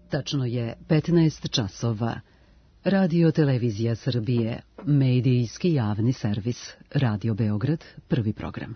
Tačno je 15 časova. Radio Televizija Srbije, medijski javni servis, Radio Beograd, prvi program.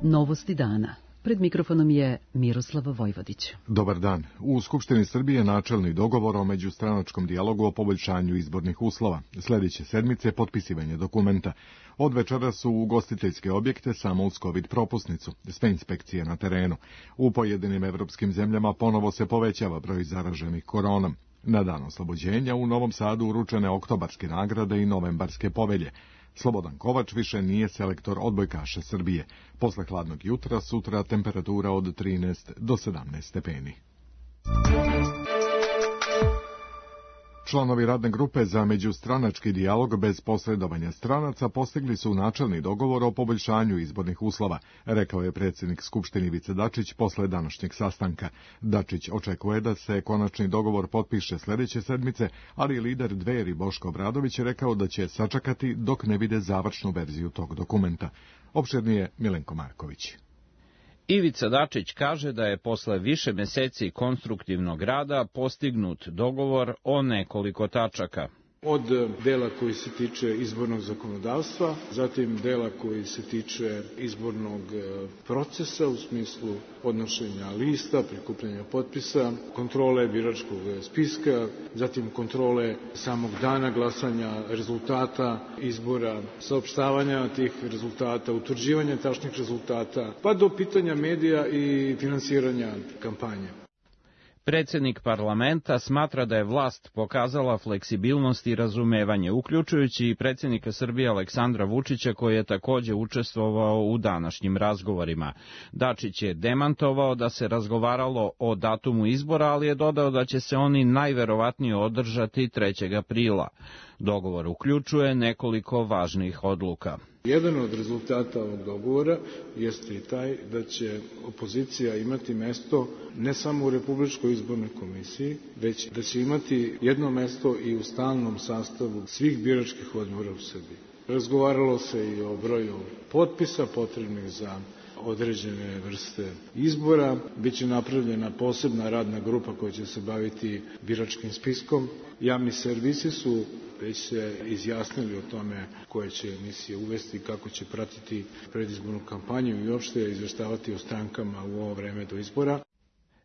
Novosti dana. Pred mikrofonom je Miroslav Vojvodić. Dobar dan. U Skupštini Srbije načelni dogovor o međustranačkom dijalogu o poboljšanju izbornih uslova. Sljedeće sedmice potpisivanje dokumenta. Od večera su ugostiteljske objekte samo uz COVID propusnicu, sve inspekcije na terenu. U pojedinim evropskim zemljama ponovo se povećava broj zaraženih koronom. Na dan oslobođenja u Novom Sadu uručene oktobarske nagrade i novembarske povelje. Slobodan Kovač više nije selektor odbojkaša Srbije. Posle hladnog jutra, sutra temperatura od 13 do 17 stepeni. Članovi radne grupe za međustranački dijalog bez posredovanja stranaca postigli su načelni dogovor o poboljšanju izbornih uslova, rekao je predsjednik Skupštine Ivica Dačić posle današnjeg sastanka. Dačić očekuje da se konačni dogovor potpiše sljedeće sedmice, ali lider Dveri Boško Obradović je rekao da će sačekati dok ne vide završnu verziju tog dokumenta. Opširnije Milenko Marković. Ivica Dačić kaže da je posle više meseci konstruktivnog rada postignut dogovor o nekoliko tačaka. Od dela koji se tiče izbornog zakonodavstva, zatim dela koji se tiče izbornog procesa u smislu podnošenja lista, prikupljanja potpisa, kontrole biračkog spiska, zatim kontrole samog dana glasanja, rezultata izbora, saopštavanja tih rezultata, utvrđivanja tačnih rezultata, pa do pitanja medija i finansiranja kampanje. Predsjednik parlamenta smatra da je vlast pokazala fleksibilnost i razumevanje, uključujući i predsjednika Srbije Aleksandra Vučića, koji je također učestvovao u današnjim razgovorima. Dačić je demantovao da se razgovaralo o datumu izbora, ali je dodao da će se oni najverovatnije održati 3. aprila. Dogovor uključuje nekoliko važnih odluka. Jedan od rezultata ovog dogovora jeste i taj da će opozicija imati mesto ne samo u Republičkoj izbornoj komisiji, već da će imati jedno mesto i u stalnom sastavu svih biračkih odbora u Srbiji. Razgovaralo se i o broju potpisa potrebnih za određene vrste izbora. Biće napravljena posebna radna grupa koja će se baviti biračkim spiskom. Javni servisi su već se izjasnili o tome koje će emisije uvesti i kako će pratiti predizbornu kampanju i uopšte izveštavati o strankama u ovo vreme do izbora.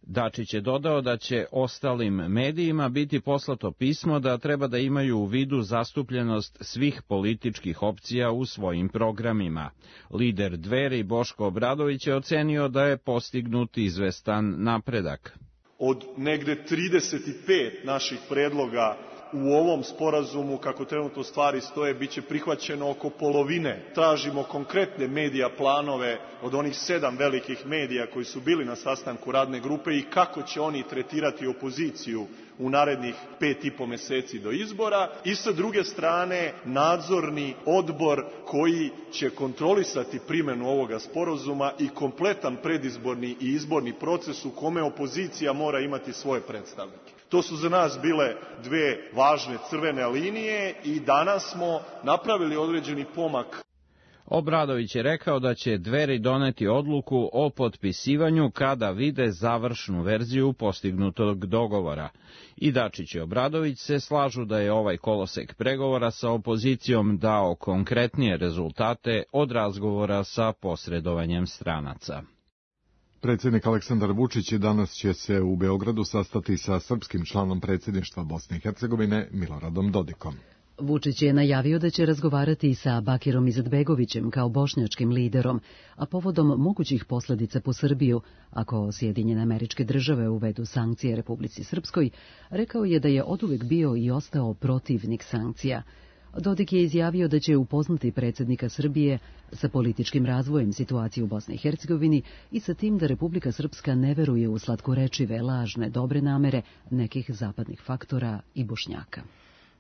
Dačić je dodao da će ostalim medijima biti poslato pismo da treba da imaju u vidu zastupljenost svih političkih opcija u svojim programima. Lider Dveri Boško Obradović je ocenio da je postignut izvestan napredak. Od negde 35 naših predloga u ovom sporazumu, kako trenutno stvari stoje, biće prihvaćeno oko polovine. Tražimo konkretne medija planove od onih 7 velikih medija koji su bili na sastanku radne grupe i kako će oni tretirati opoziciju u narednih 5,5 meseci do izbora. I sa druge strane, nadzorni odbor koji će kontrolisati primjenu ovoga sporazuma i kompletan predizborni i izborni proces u kome opozicija mora imati svoje predstavnike. To su za nas bile dve važne crvene linije i danas smo napravili određeni pomak. Obradović je rekao da će Dveri doneti odluku o potpisivanju kada vide završnu verziju postignutog dogovora. I Dačić i Obradović se slažu da je ovaj kolosek pregovora sa opozicijom dao konkretnije rezultate od razgovora sa posredovanjem stranaca. Predsjednik Aleksandar Vučić danas će se u Beogradu sastati sa srpskim članom predsjedništva Bosne i Hercegovine Miloradom Dodikom. Vučić je najavio da će razgovarati i sa Bakirom Izetbegovićem kao bošnjačkim liderom, a povodom mogućih posljedica po Srbiju, ako Sjedinjene Američke Države uvedu sankcije Republici Srpskoj, rekao je da je oduvek bio i ostao protivnik sankcija. Dodik je izjavio da će upoznati predsjednika Srbije sa političkim razvojem situacije u Bosni i Hercegovini i sa tim da Republika Srpska ne veruje u slatkorečive, lažne, dobre namere nekih zapadnih faktora i Bošnjaka.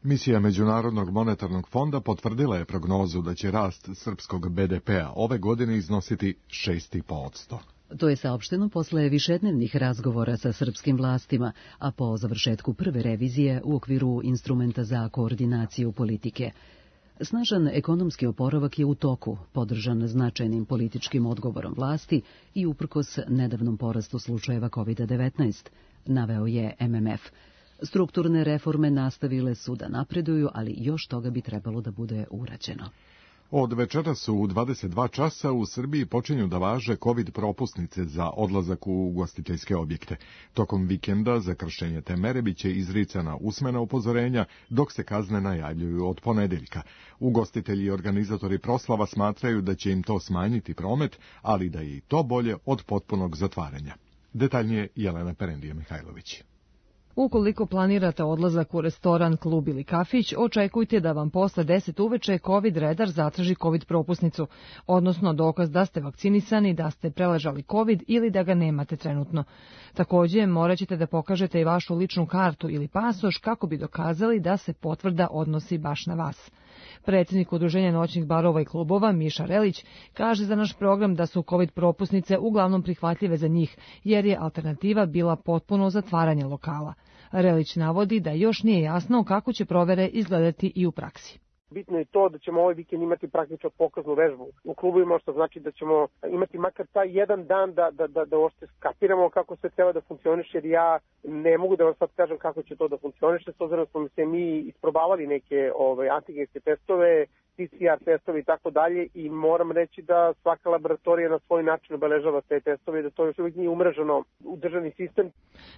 Misija Međunarodnog monetarnog fonda potvrdila je prognozu da će rast srpskog BDP-a ove godine iznositi 6,5%. To je saopšteno posle višednevnih razgovora sa srpskim vlastima, a po završetku prve revizije u okviru instrumenta za koordinaciju politike. Snažan ekonomski oporavak je u toku, podržan značajnim političkim odgovorom vlasti i uprkos nedavnom porastu slučajeva COVID-19, naveo je MMF. Strukturne reforme nastavile su da napreduju, ali još toga bi trebalo da bude urađeno. Od večeras u 22 časa u Srbiji počinju da važe COVID propusnice za odlazak u ugostiteljske objekte. Tokom vikenda za kršenje te mere biće izricana usmena upozorenja, dok se kazne najavljuju od ponedeljka. Ugostitelji i organizatori proslava smatraju da će im to smanjiti promet, ali da je i to bolje od potpunog zatvaranja. Detaljnije Jelena Perendije-Mihajlović. Ukoliko planirate odlazak u restoran, klub ili kafić, očekujte da vam posle 10 uveče COVID redar zatraži COVID propusnicu, odnosno dokaz da ste vakcinisani, da ste preležali COVID ili da ga nemate trenutno. Takođe, morat ćete da pokažete i vašu ličnu kartu ili pasoš kako bi dokazali da se potvrda odnosi baš na vas. Predsjednik Udruženja noćnih barova i klubova, Miša Relić, kaže za naš program da su COVID propusnice uglavnom prihvatljive za njih, jer je alternativa bila potpuno zatvaranje lokala. Relić navodi da još nije jasno kako će provere izgledati i u praksi. Bitno je to da ćemo ovaj vikend imati praktično pokaznu vežbu u klubovima, što znači da ćemo imati makar taj jedan dan da uopšte skapiramo kako sve treba da funkcioniše, jer ja ne mogu da vam sad kažem kako će to da funkcioniše, s obzirom da smo se mi isprobavali neke antigenske testove, PCR testovi i tako dalje, i moram reći da svaka laboratorija na svoj način obeležava te testove i da to još uvijek nije umreženo u državni sistem.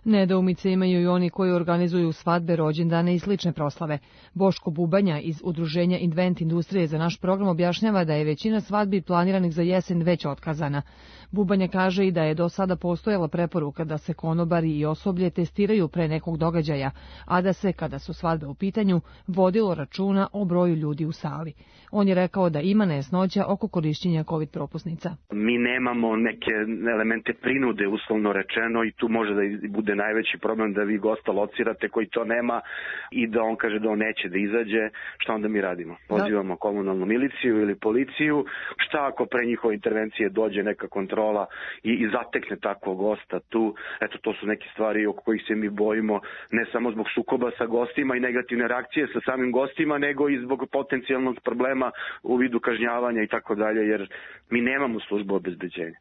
Nedoumice imaju i oni koji organizuju svadbe, rođendane i slične proslave. Boško Bubanja iz Udruženja Invent industrije za naš program objašnjava da je većina svadbi planiranih za jesen već otkazana. Bubanja kaže i da je do sada postojala preporuka da se konobari i osoblje testiraju pre nekog događaja, a da se, kada su svadbe u pitanju, vodilo računa o broju ljudi u sali. On je rekao da ima nejasnoća oko korišćenja COVID propusnica. Mi nemamo neke elemente prinude, uslovno rečeno, i tu može da bude najveći problem da vi gosta locirate koji to nema i da on kaže da on neće da izađe. Šta onda mi radimo? Pozivamo komunalnu miliciju ili policiju. Šta ako pre njihove intervencije dođe neka kontrola i zatekne takvog gosta tu? Eto, to su neke stvari oko kojih se mi bojimo, ne samo zbog sukoba sa gostima i negativne reakcije sa samim gostima, nego i zbog potencijalnog problema u vidu kažnjavanja i tako dalje, jer mi nemamo službu obezbeđenja.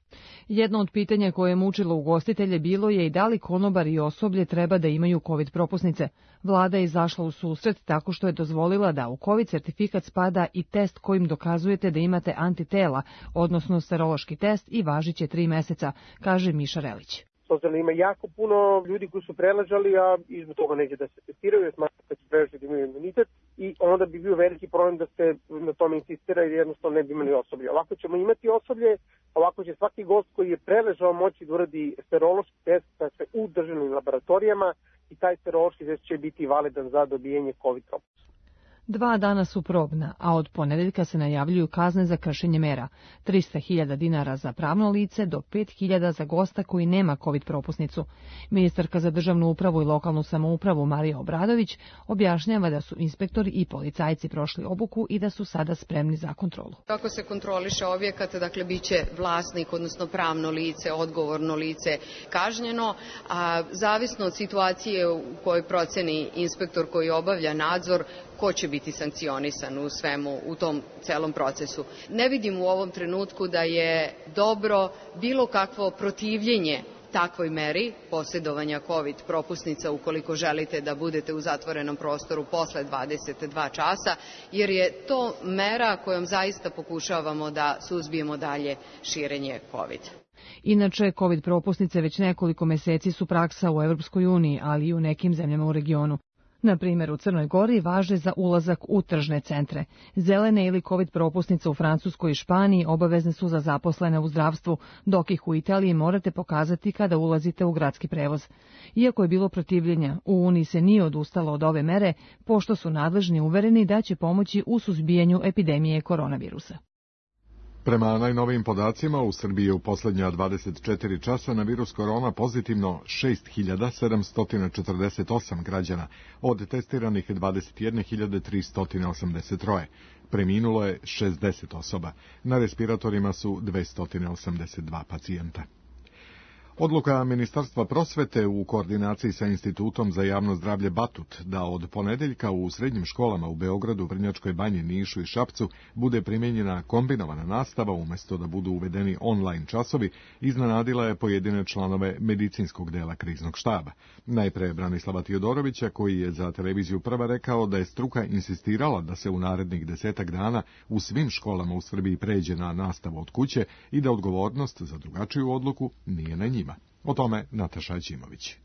Jedno od pitanja koje je mučilo ugostitelje bilo je i da li konobari i osoblje treba da imaju COVID propusnice. Vlada je izašla u susret tako što je dozvolila da u COVID certifikat spada i test kojim dokazujete da imate antitela, odnosno serološki test, i važiće 3 meseca, kaže Miša Relić. Socijalno ima jako puno ljudi koji su preležali, a izbog toga neće da se testiraju, smatraju da će preležati da imaju imunitet, i onda bi bio veliki problem da se na tome insistira, jer jednostavno ne bi imali osoblje. Ovako ćemo imati osoblje, ovako će svaki gost koji je preležao moći da uradi serološki test u državnim laboratorijama, i taj serološki test će biti validan za dobijanje COVID propusnice. 2 dana su probna, a od ponedeljka se najavljuju kazne za kršenje mera. 300.000 dinara za pravno lice do 5.000 za gosta koji nema COVID propusnicu. Ministarka za državnu upravu i lokalnu samoupravu Marija Obradović objašnjava da su inspektori i policajci prošli obuku i da su sada spremni za kontrolu. Kako se kontroliše objekat, dakle biće vlasnik, odnosno pravno lice, odgovorno lice kažnjeno, a zavisno od situacije u kojoj proceni inspektor koji obavlja nadzor, ko će biti sankcionisan u svemu, u tom celom procesu. Ne vidim u ovom trenutku da je dobro bilo kakvo protivljenje takvoj meri posjedovanja COVID propusnica ukoliko želite da budete u zatvorenom prostoru posle 22 časa, jer je to mera kojom zaista pokušavamo da suzbijemo dalje širenje COVID. Inače, COVID propusnice već nekoliko meseci su praksa u Evropskoj uniji, ali i u nekim zemljama u regionu. Na primjer, u Crnoj Gori važe za ulazak u tržne centre. Zelene ili COVID propusnice u Francuskoj i Španiji obavezne su za zaposlene u zdravstvu, dok ih u Italiji morate pokazati kada ulazite u gradski prevoz. Iako je bilo protivljenja, u Uniji se nije odustalo od ove mere, pošto su nadležni uvereni da će pomoći u suzbijanju epidemije koronavirusa. Prema najnovijim podacima, u Srbiji je u posljednja 24 časa na virus korona pozitivno 6.748 građana, od testiranih 21.383. Preminulo je 60 osoba. Na respiratorima su 282 pacijenta. Odluka Ministarstva prosvete u koordinaciji sa Institutom za javno zdravlje Batut da od ponedeljka u srednjim školama u Beogradu, Vrnjačkoj Banji, Nišu i Šapcu bude primijenjena kombinovana nastava umjesto da budu uvedeni online časovi, iznenadila je pojedine članove medicinskog dela kriznog štaba. Najpre Branislava Tiodorovića, koji je za televiziju Prva rekao da je struka insistirala da se u narednih 10 dana u svim školama u Srbiji pređe na nastavu od kuće i da odgovornost za drugačiju odluku nije na njima. O tome Nataša Ćimović.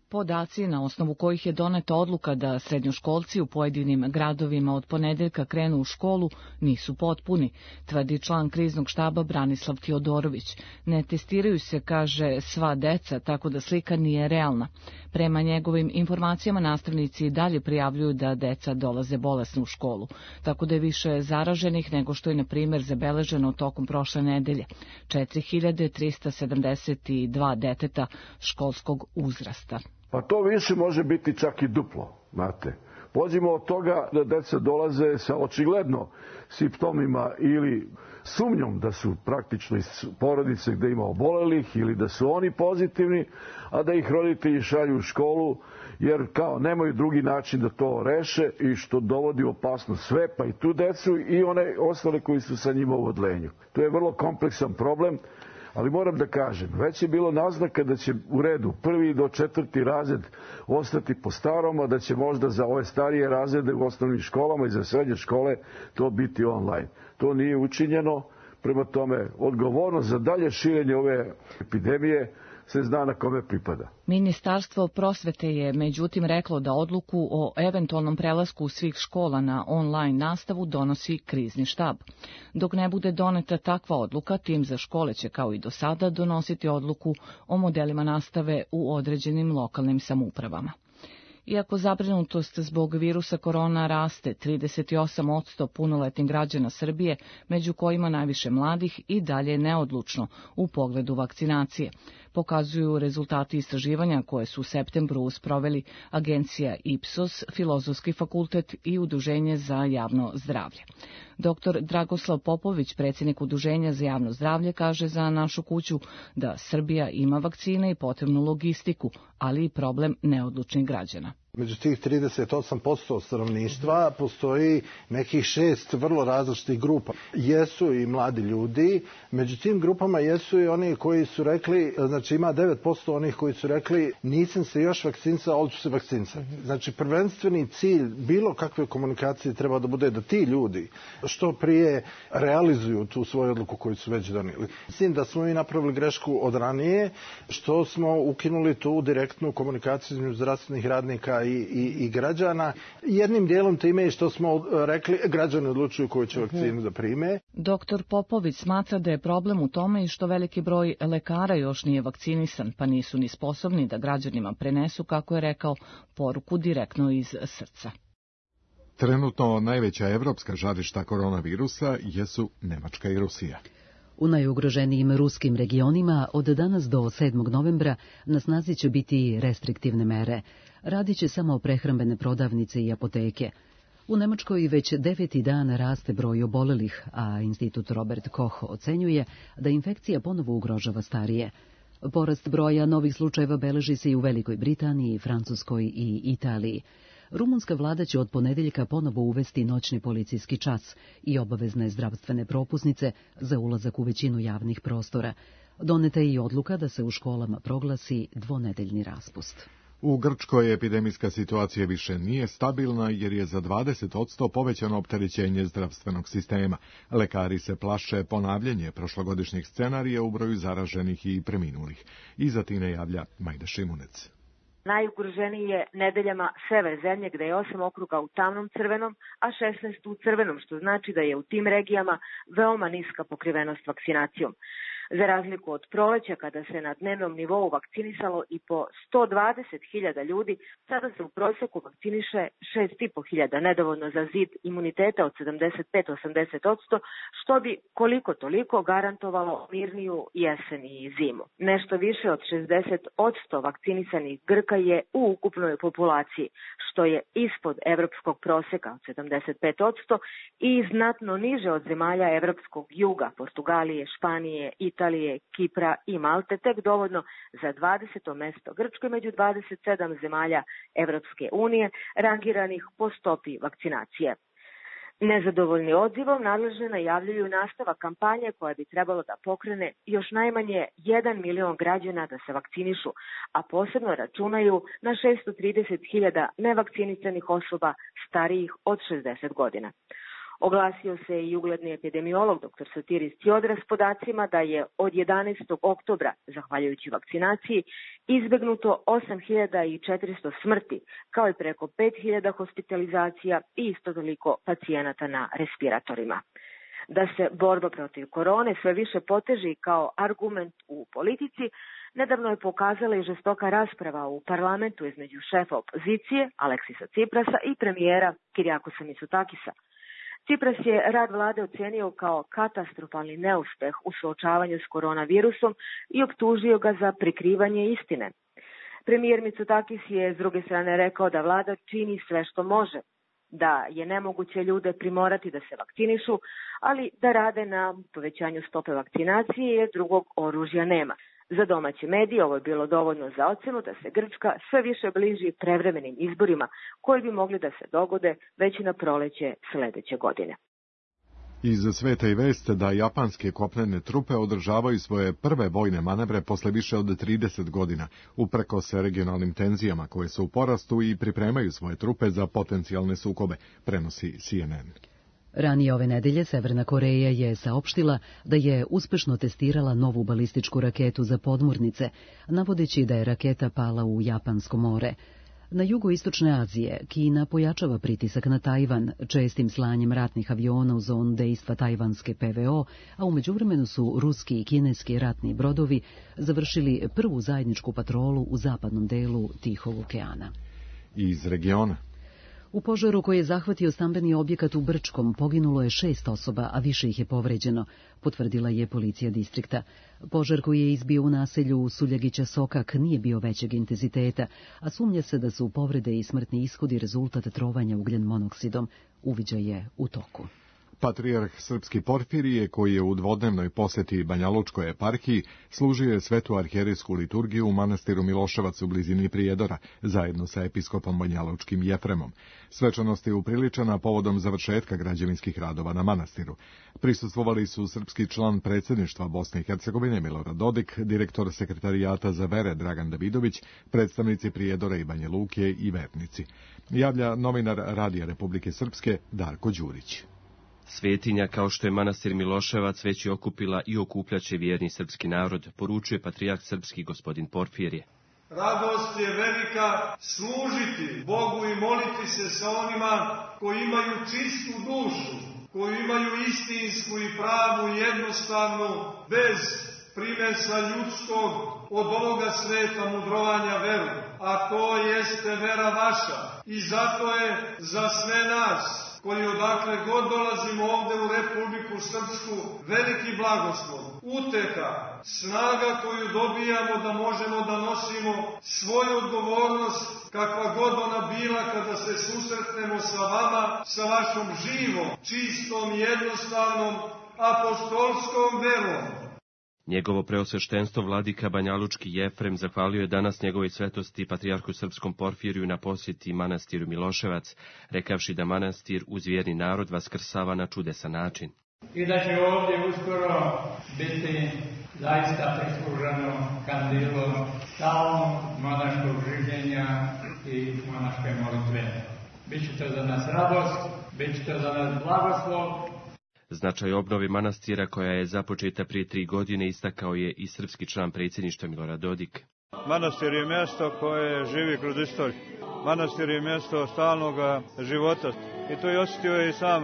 Podaci na osnovu kojih je doneta odluka da srednjoškolci u pojedinim gradovima od ponedeljka krenu u školu nisu potpuni, tvrdi član kriznog štaba Branislav Tiodorović. Ne testiraju se, kaže, sva deca, tako da slika nije realna. Prema njegovim informacijama nastavnici dalje prijavljuju da deca dolaze bolesno u školu, tako da je više zaraženih nego što je, na primjer, zabeleženo tokom prošle nedelje. 4372 deteta školskog uzrasta. Pa to više može biti čak i duplo, znate. Pođimo od toga da deca dolaze sa očigledno simptomima ili sumnjom da su praktično iz porodice gde ima obolelih ili da su oni pozitivni, a da ih roditelji šalju u školu jer kao nemaju drugi način da to reše i što dovodi u opasnost sve, pa i tu decu i one ostale koji su sa njima u odlenju. To je vrlo kompleksan problem. Ali moram da kažem, već je bilo naznaka da će u redu 1. do 4. razred ostati po starom, a da će možda za ove starije razrede u osnovnim školama i za srednje škole to biti online. To nije učinjeno, prema tome odgovornost za dalje širenje ove epidemije se zna na kome pripada. Ministarstvo prosvete je međutim reklo da odluku o eventualnom prelasku svih škola na online nastavu donosi krizni štab. Dok ne bude doneta takva odluka, tim za škole će kao i do sada donositi odluku o modelima nastave u određenim lokalnim samoupravama. Iako zabrinutost zbog virusa korona raste, 38% punoletnih građana Srbije, među kojima najviše mladih, i dalje neodlučno u pogledu vakcinacije, pokazuju rezultati istraživanja koje su u septembru sproveli agencija Ipsos, Filozofski fakultet i Udruženje za javno zdravlje. Dr. Dragoslav Popović, predsjednik Udruženja za javno zdravlje, kaže za Našu kuću da Srbija ima vakcine i potrebnu logistiku, ali i problem neodlučnih građana. Među tih 38% stanovništva postoji nekih 6 vrlo različitih grupa. Jesu i mladi ljudi, među tim grupama jesu i oni koji su rekli, znači ima 9% onih koji su rekli nisam se još vakcinisao, ali ću se vakcinisati. Znači prvenstveni cilj bilo kakve komunikacije treba da bude da ti ljudi što prije realizuju tu svoju odluku koju su već donijeli. Mislim da smo i napravili grešku od ranije, što smo ukinuli tu direktnu komunikaciju između zdravstvenih radnika i građana. Jednim dijelom time je što smo rekli, građani odlučuju koju će vakcinu da prime. Doktor Popović smatra da je problem u tome i što veliki broj lekara još nije vakcinisan, pa nisu ni sposobni da građanima prenesu, kako je rekao, poruku direktno iz srca. Trenutno najveća evropska žarišta koronavirusa jesu Nemačka i Rusija. U najugroženijim ruskim regionima od danas do 7. novembra na snazi će biti restriktivne mere. Radit će samo prehrambene prodavnice i apoteke. U Nemačkoj već 9. dan raste broj obolelih, a Institut Robert Koch ocenjuje da infekcija ponovo ugrožava starije. Porast broja novih slučajeva beleži se i u Velikoj Britaniji, Francuskoj i Italiji. Rumunska vlada će od ponedeljka ponovo uvesti noćni policijski čas i obavezne zdravstvene propusnice za ulazak u većinu javnih prostora. Doneta je i odluka da se u školama proglasi dvonedeljni raspust. U Grčkoj epidemijska situacija više nije stabilna jer je za 20% povećano opterećenje zdravstvenog sistema. Lekari se plaše ponavljanje prošlogodišnjeg scenarija u broju zaraženih i preminulih. Iza Tine javlja Majda Šimunec. Najugroženiji je nedeljama sever zemlje gde je 8 okruga u tamnom crvenom, a 16 u crvenom, što znači da je u tim regijama veoma niska pokrivenost vakcinacijom. Za razliku od proleća, kada se na dnevnom nivou vakcinisalo i po 120.000 ljudi, sada se u prosjeku vakciniše 6.500, nedovoljno za zid imuniteta od 75-80%, što bi koliko toliko garantovalo mirniju jesen i zimu. Nešto više od 60% vakcinisanih Grka je u ukupnoj populaciji, što je ispod evropskog prosjeka od 75% i znatno niže od zemalja evropskog juga, Portugalije, Španije, Italije Italije, Kipra i Malte tek dovoljno za 20. mesto Grčkoj među 27 zemalja Evropske unije rangiranih po stopi vakcinacije. Nezadovoljni odzivom nadležni najavljuju nastavak kampanje koja bi trebalo da pokrene još najmanje 1 milion građana da se vakcinišu, a posebno računaju na 630.000 nevakcinisanih osoba starijih od 60 godina. Oglasio se i ugledni epidemiolog dr. Sotiris Ciodras s podacima da je od 11. oktobra, zahvaljujući vakcinaciji, izbegnuto 8.400 smrti, kao i preko 5.000 hospitalizacija i isto toliko pacijenata na respiratorima. Da se borba protiv korone sve više poteži kao argument u politici, nedavno je pokazala i žestoka rasprava u parlamentu između šefa opozicije, Aleksisa Ciprasa, i premijera Kirijakosa Mitsotakisa. Cipras je rad vlade ocenio kao katastrofalni neuspeh u suočavanju s koronavirusom i optužio ga za prikrivanje istine. Premijer Mitsotakis je s druge strane rekao da vlada čini sve što može, da je nemoguće ljude primorati da se vakcinišu, ali da rade na povećanju stope vakcinacije jer drugog oružja nema. Za domaće medije ovo je bilo dovoljno za ocenu da se Grčka sve više bliži prevremenim izborima koji bi mogli da se dogode već na proleće sledeće godine. Iz sveta i vest da japanske kopnene trupe održavaju svoje prve vojne manevre posle više od 30 godina, uprkos regionalnim tenzijama koje su u porastu i pripremaju svoje trupe za potencijalne sukobe, prenosi CNN. Ranije ove nedelje Severna Koreja je saopštila da je uspešno testirala novu balističku raketu za podmornice, navodeći da je raketa pala u Japansko more. Na jugoistočne Azije Kina pojačava pritisak na Tajvan čestim slanjem ratnih aviona u zonu dejstva tajvanske PVO, a u međuvremenu su ruski i kineski ratni brodovi završili prvu zajedničku patrolu u zapadnom delu Tihog okeana. Iz regiona. U požaru koji je zahvatio stambeni objekat u Brčkom poginulo je 6 osoba, a više ih je povređeno, potvrdila je policija distrikta. Požar koji je izbio u naselju Suljagića Sokak nije bio većeg intenziteta, a sumnja se da su povrede i smrtni ishodi rezultat trovanja ugljen monoksidom. Uviđaj je u toku. Patrijarh srpski Porfirije, koji je u dvodnevnoj poseti Banjalučkoj eparhiji, služio je svetu arhijerejsku liturgiju u manastiru Miloševac u blizini Prijedora, zajedno sa episkopom banjalučkim Jefremom. Svečanost je upriličena povodom završetka građevinskih radova na manastiru. Prisustvovali su srpski član predsjedništva Bosne i Hercegovine Milorad Dodik, direktor sekretarijata za vere Dragan Davidović, predstavnici Prijedora i Banja Luke i vernici. Javlja novinar Radija Republike Srpske Darko Đurić. Svetinja, kao što je manastir Miloševac, već je okupila i okupljaće vjerni srpski narod, poručuje patrijarh srpski gospodin Porfirije. Radost je velika služiti Bogu i moliti se sa onima koji imaju čistu dušu, koji imaju istinsku i pravu i jednostavnu, bez primesa ljudskog, od ovoga sveta mudrovanja veru. A to jeste vera vaša. I zato je za sve nas, koji odakle god dolazimo ovde u Republiku Srpsku, veliki blagoslov, uteha, snaga koju dobijamo da možemo da nosimo svoju odgovornost, kakva god ona bila kada se susretnemo sa vama, sa vašom živom, čistom, jednostavnom, apostolskom verom. Njegovo preosveštenstvo vladika Banjalučki Jefrem zahvalio je danas njegovoj svetosti patrijarhu srpskom Porfiriju na posjeti manastiru Miloševac, rekavši da manastir uz vjerni narod vaskrsava na čudesan način. I da će ovdje uskoro biti zaista prisluženo kandilo stalnog monaškog življenja i monaške molitve. Biće to za nas radost, biće to za nas blagoslov. Značaj obnove manastira koja je započeta prije 3 godine istakao je i srpski član predsjedništva Milorad Dodik. Manastir je mjesto koje živi kroz istoriju. Manastir je mjesto stalnog života. I to je osjetio i sam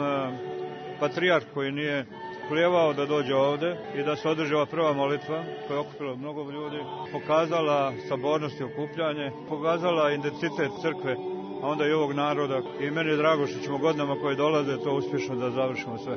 patrijarh koji nije klijevao da dođe ovde i da se održi ova prva molitva koja je okupila mnogo ljudi, pokazala sabornost i okupljanje, pokazala identitet crkve, a onda i ovog naroda. I meni je drago što ćemo godinama koje dolaze to uspješno da završimo sve.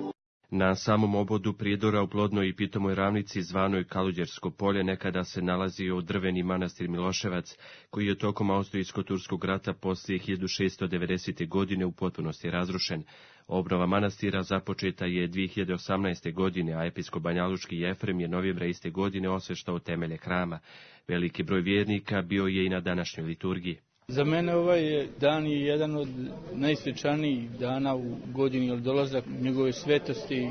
Na samom obodu Prijedora u plodnoj i pitomoj ravnici zvanoj Kaluđersko polje nekada se nalazio drveni manastir Miloševac, koji je tokom Austrijsko-turskog rata poslije 1690. godine u potpunosti razrušen. Obnova manastira započeta je 2018. godine, a episkop banjalučki Jefrem je novembra iste godine osveštao temelje hrama. Veliki broj vjernika bio je i na današnjoj liturgiji. Za mene ovaj dan je jedan od najsvečanijih dana u godini, jer dolazak njegove svetosti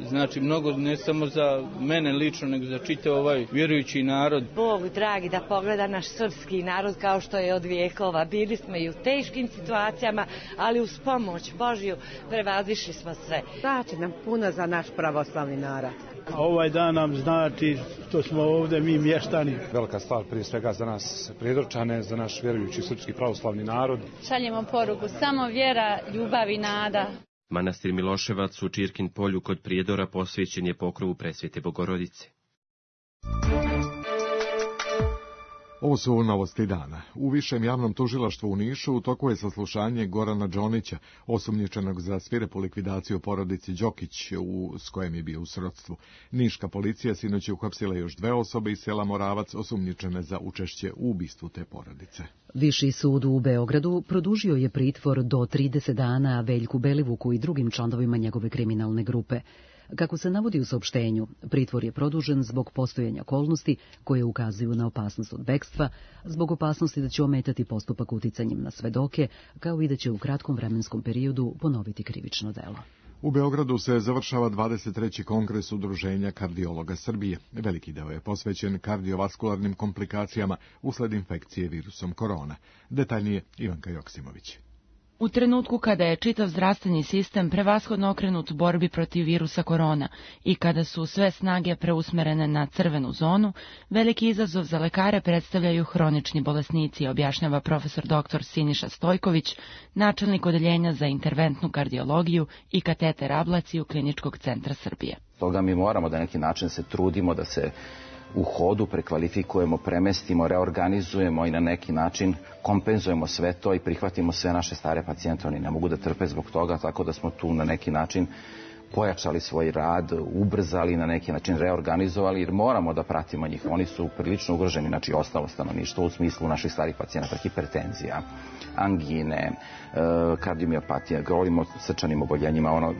znači mnogo ne samo za mene lično, nego za čitav ovaj vjerujući narod. Bog dragi da pogleda naš srpski narod kao što je od vijekova. Bili smo i u teškim situacijama, ali uz pomoć Božju prevazišli smo sve. Znači nam puno za naš pravoslavni narod. A ovaj dan nam znači što smo ovdje mi mještani. Velika stvar prije svega za nas Prijedorčane, za naš vjerujući srpski pravoslavni narod. Šaljemo poruku, samo vjera, ljubav i nada. Manastir Miloševac u Čirkin polju kod Prijedora posvećen je pokrovu Presvete Bogorodice. Ovo su novosti dana. U Višem javnom tužilaštvu u Nišu u toku je saslušanje Gorana Đonića, osumnjičenog za svirepu likvidaciju porodici Đokić, s kojem je bio u srodstvu. Niška policija sinoć je uhapsila još 2 osobe iz sela Moravac, osumnjičene za učešće u ubistvu te porodice. Viši sud u Beogradu produžio je pritvor do 30 dana Veljku Belivuku i drugim članovima njegove kriminalne grupe. Kako se navodi u saopštenju, pritvor je produžen zbog postojanja okolnosti koje ukazuju na opasnost od bekstva, zbog opasnosti da će ometati postupak uticanjem na svedoke, kao i da će u kratkom vremenskom periodu ponoviti krivično delo. U Beogradu se završava 23. kongres Udruženja kardiologa Srbije. Veliki deo je posvećen kardiovaskularnim komplikacijama usled infekcije virusom korona. Detaljnije Ivanka Joksimović. U trenutku kada je čitav zdravstveni sistem prevashodno okrenut borbi protiv virusa korona i kada su sve snage preusmerene na crvenu zonu, veliki izazov za lekare predstavljaju hronični bolesnici, objašnjava profesor dr. Siniša Stojković, načelnik odeljenja za interventnu kardiologiju i kateter ablaciju Kliničkog centra Srbije. Toga mi moramo da neki način se trudimo da se u hodu prekvalifikujemo, premestimo, reorganizujemo i na neki način kompenzujemo sve to i prihvatimo sve naše stare pacijente. Oni ne mogu da trpe zbog toga, tako da smo tu na neki način pojačali svoj rad, ubrzali, na neki način reorganizovali, jer moramo da pratimo njih. Oni su prilično ugroženi, znači ostalo stanovništvo u smislu naših starih pacijenata, hipertenzija, angine, kardiomiopatija, govorimo o srčanim oboljenjima, ono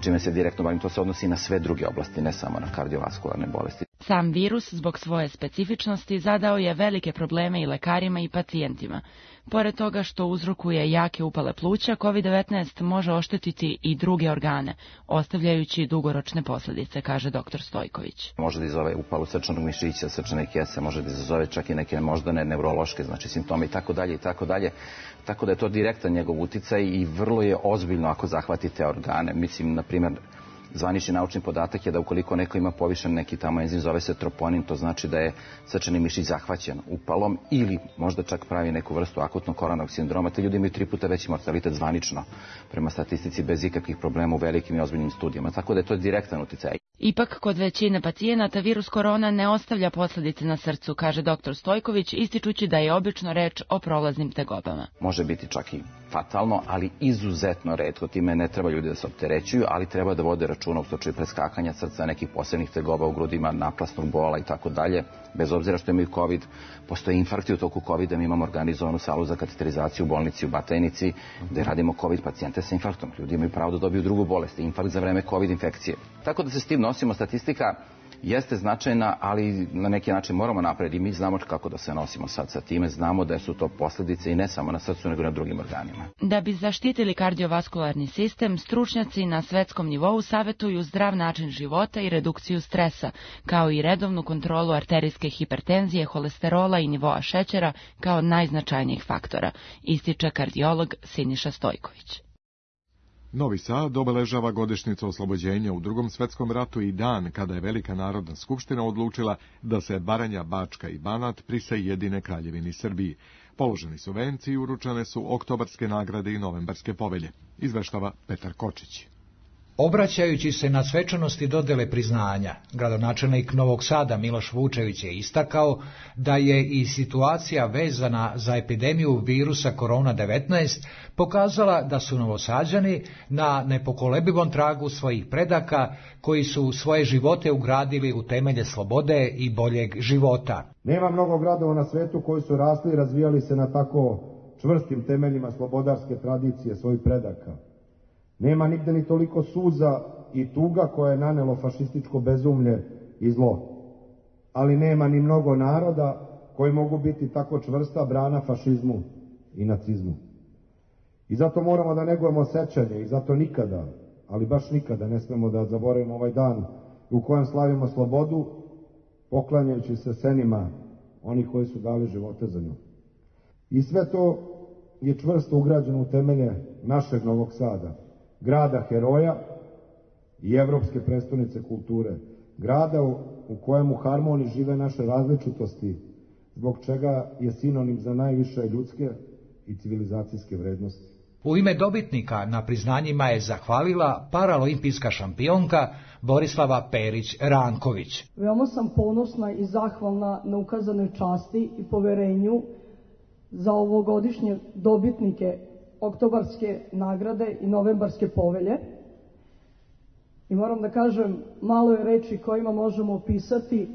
čime se direktno bavim, to se odnosi na sve druge oblasti, ne samo na kardiovaskularne bolesti. Sam virus, zbog svoje specifičnosti, zadao je velike probleme i lekarima i pacijentima. Pored toga što uzrokuje jake upale pluća, COVID-19 može oštetiti i druge organe, ostavljajući dugoročne posljedice, kaže dr. Stojković. Može da izazove upalu srčanog mišića, srčane kese, može da izazove čak i neke moždane neurološke, znači simptome i tako dalje. Tako da je to direktan njegov uticaj i vrlo je ozbiljno ako zahvati te organe. Mislim, na primjer, zvanični naučni podatak je da ukoliko neko ima povišen neki tamo enzim, zove se troponin, to znači da je srčani mišić zahvaćen upalom ili možda čak pravi neku vrstu akutnog koronanog sindroma. Te ljudi imaju 3 puta veći mortalitet zvanično, prema statistici, bez ikakvih problema u velikim i ozbiljnim studijama. Tako da je to direktan uticaj. Ipak, kod većine pacijenata virus korona ne ostavlja posljedice na srcu, kaže dr. Stojković, ističući da je obično reč o prolaznim tegobama. Može biti čak i fatalno, ali izuzetno retko. Time ne treba ljudi da se opterećuju, ali treba da vode računa u slučaju preskakanja srca, nekih posebnih tegoba u grudima, naplasnog bola i tako dalje. Bez obzira što imaju COVID, postoje infarkti u toku COVID-a, mi imamo organizovanu salu za kateterizaciju u bolnici u Batajnici, gde radimo COVID pacijente sa infarktom. Ljudi imaju pravo da dobiju drugu bolest, infarkt za vreme COVID infekcije. Tako da se s tim nosimo. Statistika jeste značajna, ali na neki način moramo napred i mi znamo kako da se nosimo sad sa time. Znamo da su to posljedice i ne samo na srcu, nego i na drugim organima. Da bi zaštitili kardiovaskularni sistem, stručnjaci na svetskom nivou savjetuju zdrav način života i redukciju stresa, kao i redovnu kontrolu arterijske hipertenzije, holesterola i nivoa šećera kao najznačajnijih faktora, ističe kardiolog Siniša Stojković. Novi Sad obeležava godišnjicu oslobođenja u Drugom svjetskom ratu i dan kada je Velika narodna skupština odlučila da se Baranja, Bačka i Banat prisajedine Kraljevini Srbiji. Položeni su venci i uručene su oktobarske nagrade i novembarske povelje, izveštava Petar Kočić. Obraćajući se na svečanosti dodele priznanja, gradonačelnik Novog Sada Miloš Vučević je istakao da je i situacija vezana za epidemiju virusa korona-19 pokazala da su Novosađani na nepokolebivom tragu svojih predaka koji su svoje živote ugradili u temelje slobode i boljeg života. Nema mnogo gradova na svetu koji su rasli i razvijali se na tako čvrstim temeljima slobodarske tradicije svojih predaka. Nema nigde ni toliko suza i tuga koje je nanelo fašističko bezumlje i zlo. Ali nema ni mnogo naroda koji mogu biti tako čvrsta brana fašizmu i nacizmu. I zato moramo da negujemo sećanje i zato nikada, ali baš nikada ne smemo da zaboravimo ovaj dan u kojem slavimo slobodu, poklanjajući se senima onih koji su dali živote za nju. I sve to je čvrsto ugrađeno u temelje našeg Novog Sada, grada heroja i evropske prestonice kulture, grada u kojem u harmoniji žive naše različitosti, zbog čega je sinonim za najviše ljudske i civilizacijske vrednosti. U ime dobitnika na priznanjima je zahvalila paraolimpijska šampionka Borislava Perić-Ranković. Veoma sam ponosna i zahvalna na ukazanoj časti i poverenju za ovogodišnje dobitnike oktobarske nagrade i novembarske povelje. I moram da kažem, malo je reči kojima možemo opisati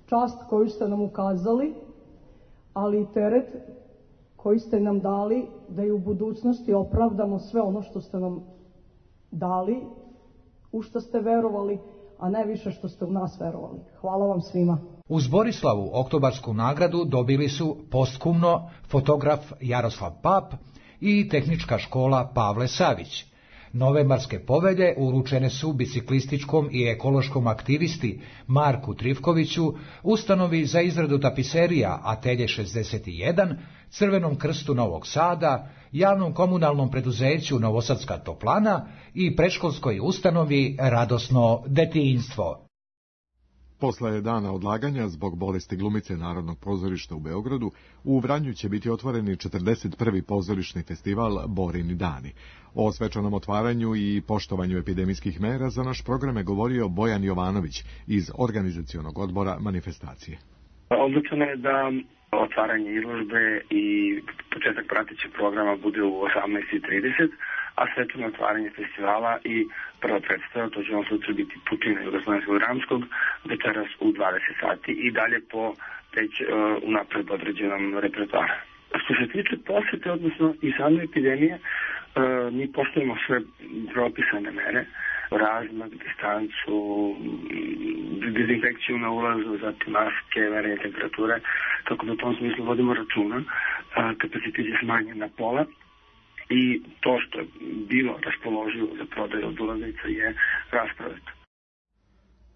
čast koju ste nam ukazali, ali i teret koji ste nam dali da i u budućnosti opravdamo sve ono što ste nam dali, u što ste verovali, a najviše što ste u nas verovali. Hvala vam svima. Uz Borislavu oktobarsku nagradu dobili su posthumno fotograf Jaroslav Pap i tehnička škola Pavle Savić. Novembarske povelje uručene su biciklističkom i ekološkom aktivisti Marku Trivkoviću, ustanovi za izradu tapiserija Atelje 61, Crvenom krstu Novog Sada, javnom komunalnom preduzeću Novosadska toplana i predškolskoj ustanovi Radosno detinjstvo. Posle dana odlaganja zbog bolesti glumice Narodnog pozorišta u Beogradu, u Vranju će biti otvoreni 41. pozorišni festival Borini dani. O svečanom otvaranju i poštovanju epidemijskih mera za naš program je govorio Bojan Jovanović iz organizacionog odbora manifestacije. Odlučeno je da otvaranje izložbe i početak pratećeg programa bude u 18:30, a svečano otvaranje festivala i prva predstava, to će vam sutra biti Putina Jugoslovenskog dramskog, večeras u 20 sati i dalje po već unapred određenom repertoaru. Što se tiče posete, odnosno i same epidemije, mi poštujemo sve propisane mere, razmak, distancu, dezinfekciju na ulazu, zatim maske, merenje temperature, tako da u tom smislu vodimo računa. Kapacitet je smanjen na pola i to što je bilo raspoloživo za prodaju od ulaznica je rasprodato.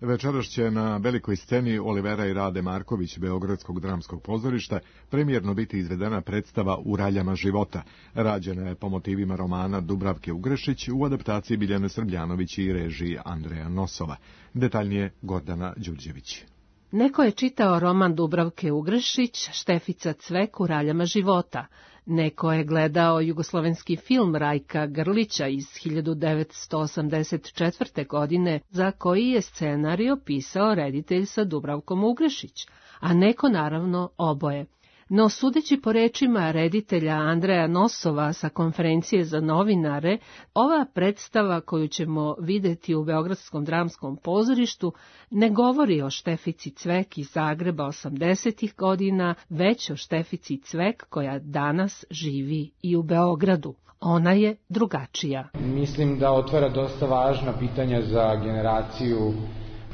Večeras će na velikoj sceni Olivera i Rade Marković Beogradskog dramskog pozorišta premijerno biti izvedena predstava U raljama života. Rađena je po motivima romana Dubravke Ugrešić u adaptaciji Biljane Srbljanović i režiji Andreja Nosova. Detaljnije Gordana Đurđević. Neko je čitao roman Dubravke Ugrešić, Štefica Cvek U raljama života. Neko je gledao jugoslovenski film Rajka Grlića iz 1984. godine, za koji je scenario pisao reditelj sa Dubravkom Ugrešić, a neko naravno oboje. No, sudeći po rečima reditelja Andreja Nosova sa konferencije za novinare, ova predstava koju ćemo videti u Beogradskom dramskom pozorištu ne govori o Štefici Cvek iz Zagreba 80. godina, već o Štefici Cvek koja danas živi i u Beogradu. Ona je drugačija. Mislim da otvara dosta važna pitanja za generaciju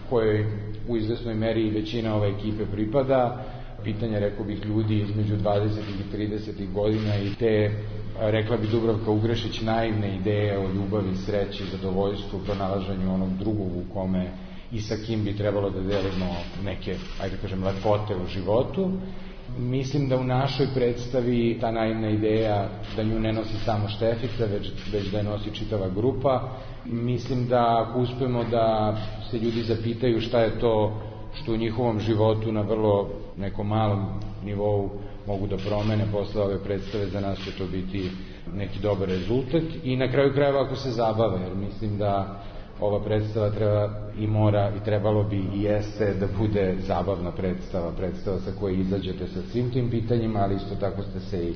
kojoj u izvesnoj meri većina ove ekipe pripada. Pitanja, rekao bih, ljudi između 20. i 30. godina i te, rekla bi Dubravka Ugrešić, naivne ideje o ljubavi, sreći, zadovoljstvu, pronalaženju onog drugog u kome i sa kim bi trebalo da delimo neke, ajde kažem, lepote u životu. Mislim da u našoj predstavi ta naivna ideja da nju ne nosi samo Štefica, već da je nosi čitava grupa. Mislim da ako uspemo da se ljudi zapitaju šta je to što u njihovom životu na vrlo nekom malom nivou mogu da promene posle ove predstave, za nas će to biti neki dobar rezultat i na kraju krajeva ako se zabave, jer mislim da ova predstava treba i mora i trebalo bi i jeste da bude zabavna predstava sa koje izađete sa svim tim pitanjima, ali isto tako ste se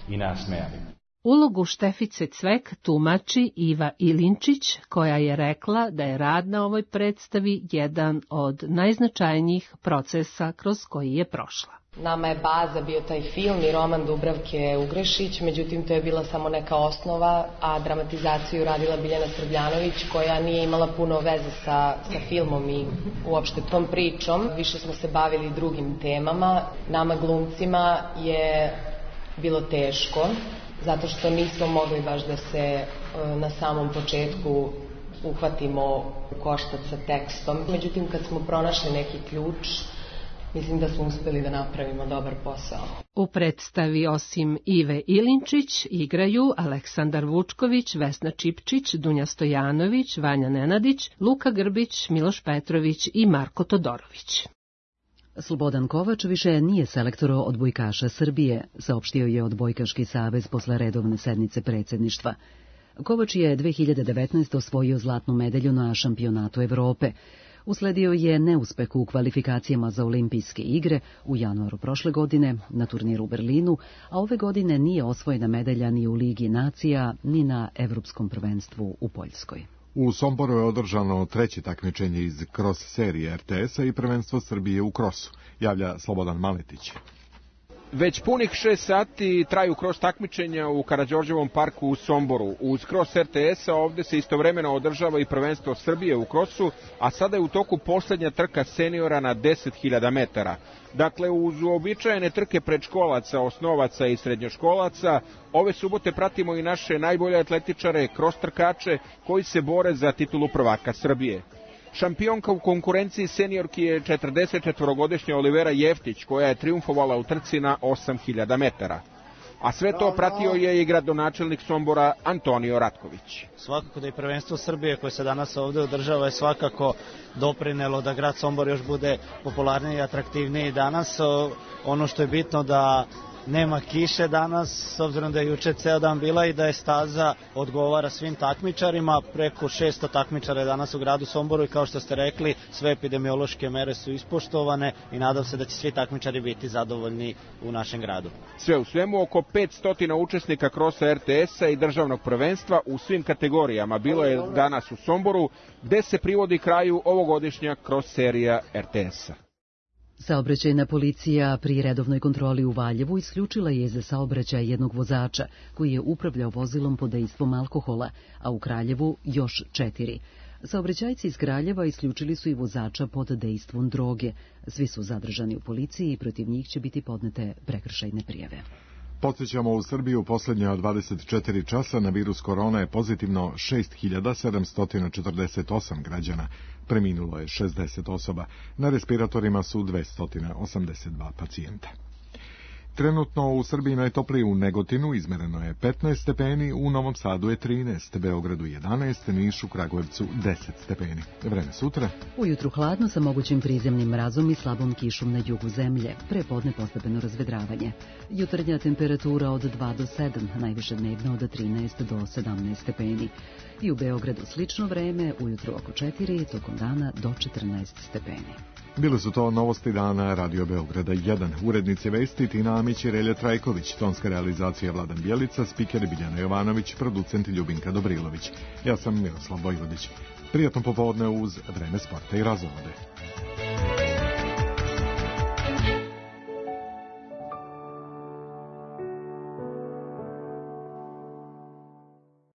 i nasmejali. Ulogu Štefice Cvek tumači Iva Ilinčić, koja je rekla da je rad na ovoj predstavi jedan od najznačajnijih procesa kroz koji je prošla. Nama je baza bio taj film i roman Dubravke Ugrešić, međutim to je bila samo neka osnova, a dramatizaciju radila Biljana Srbljanović, koja nije imala puno veze sa filmom i uopšte tom pričom. Više smo se bavili drugim temama. Nama glumcima je bilo teško, zato što nismo mogli baš da se na samom početku uhvatimo u koštac sa tekstom. Međutim, kad smo pronašli neki ključ, mislim da smo uspeli da napravimo dobar posao. U predstavi osim Ive Ilinčić igraju Aleksandar Vučković, Vesna Čipčić, Dunja Stojanović, Vanja Nenadić, Luka Grbić, Miloš Petrović i Marko Todorović. Slobodan Kovač više nije selektor odbojkaša Srbije, saopštio je Odbojkaški savez posle redovne sednice predsjedništva. Kovač je 2019. osvojio zlatnu medalju na šampionatu Evrope. Usledio je neuspeh u kvalifikacijama za olimpijske igre u januaru prošle godine na turniru u Berlinu, a ove godine nije osvojena medalja ni u Ligi nacija, ni na Evropskom prvenstvu u Poljskoj. U Somboru je održano treće takmičenje iz cross serije RTS-a i prvenstvo Srbije u krosu, javlja Slobodan Maletić. Već punih 6 sati traju cross takmičenja u Karađorđevom parku u Somboru. Uz cross RTS-a ovdje se istovremeno održava i prvenstvo Srbije u krosu, a sada je u toku posljednja trka seniora na 10.000 metara. Dakle, uz uobičajene trke predškolaca, osnovaca i srednjoškolaca, ove subote pratimo i naše najbolje atletičare, cross trkače, koji se bore za titulu prvaka Srbije. Šampionka u konkurenciji seniorki je 44-godišnja Olivera Jeftić, koja je triumfovala u trci na 8.000 metara. A sve to pratio je i gradonačelnik Sombora Antonio Ratković. Svakako da i prvenstvo Srbije koje se danas ovdje održava je svakako doprinelo da grad Sombor još bude popularniji i atraktivniji danas. Ono što je bitno da nema kiše danas, s obzirom da je juče ceo dan bila i da je staza odgovara svim takmičarima. Preko 600 takmičara je danas u gradu Somboru i kao što ste rekli, sve epidemiološke mere su ispoštovane i nadam se da će svi takmičari biti zadovoljni u našem gradu. Sve u svemu oko 500 učesnika krosa RTS-a i državnog prvenstva u svim kategorijama bilo je danas u Somboru, gde se privodi kraju ovogodišnja cross serija RTS-a. Saobraćajna policija pri redovnoj kontroli u Valjevu isključila je za saobraćaj jednog vozača koji je upravljao vozilom pod dejstvom alkohola, a u Kraljevu još 4. Saobraćajci iz Kraljeva isključili su i vozača pod dejstvom droge. Svi su zadržani u policiji i protiv njih će biti podnete prekršajne prijave. Podsjećamo, u Srbiju posljednja 24 časa na virus korona je pozitivno 6.748 građana. Preminulo je 60 osoba. Na respiratorima su 282 pacijenta. Trenutno u Srbiji najtoplije u Negotinu izmereno je 15 stepeni, u Novom Sadu je 13, Beogradu 11, Nišu, Kragujevcu 10 stepeni. Vreme sutra. Ujutru hladno sa mogućim prizemnim mrazom i slabom kišom na jugu zemlje. Prepodne postepeno razvedravanje. Jutarnja temperatura od 2 do 7, najviše dnevno od 13 do 17 stepeni. I u Beogradu slično vreme, ujutru oko 4, tokom dana do 14 stepeni. Bile su to novosti dana Radio Beograda 1. Urednici vesti Tina Amić i Relja Trajković, tonska realizacija Vladan Bjelica, spiker Biljana Jovanović, producent Ljubinka Dobrilović. Ja sam Miroslav Vojvodić. Prijatno popodne uz Vreme sporta i razvode.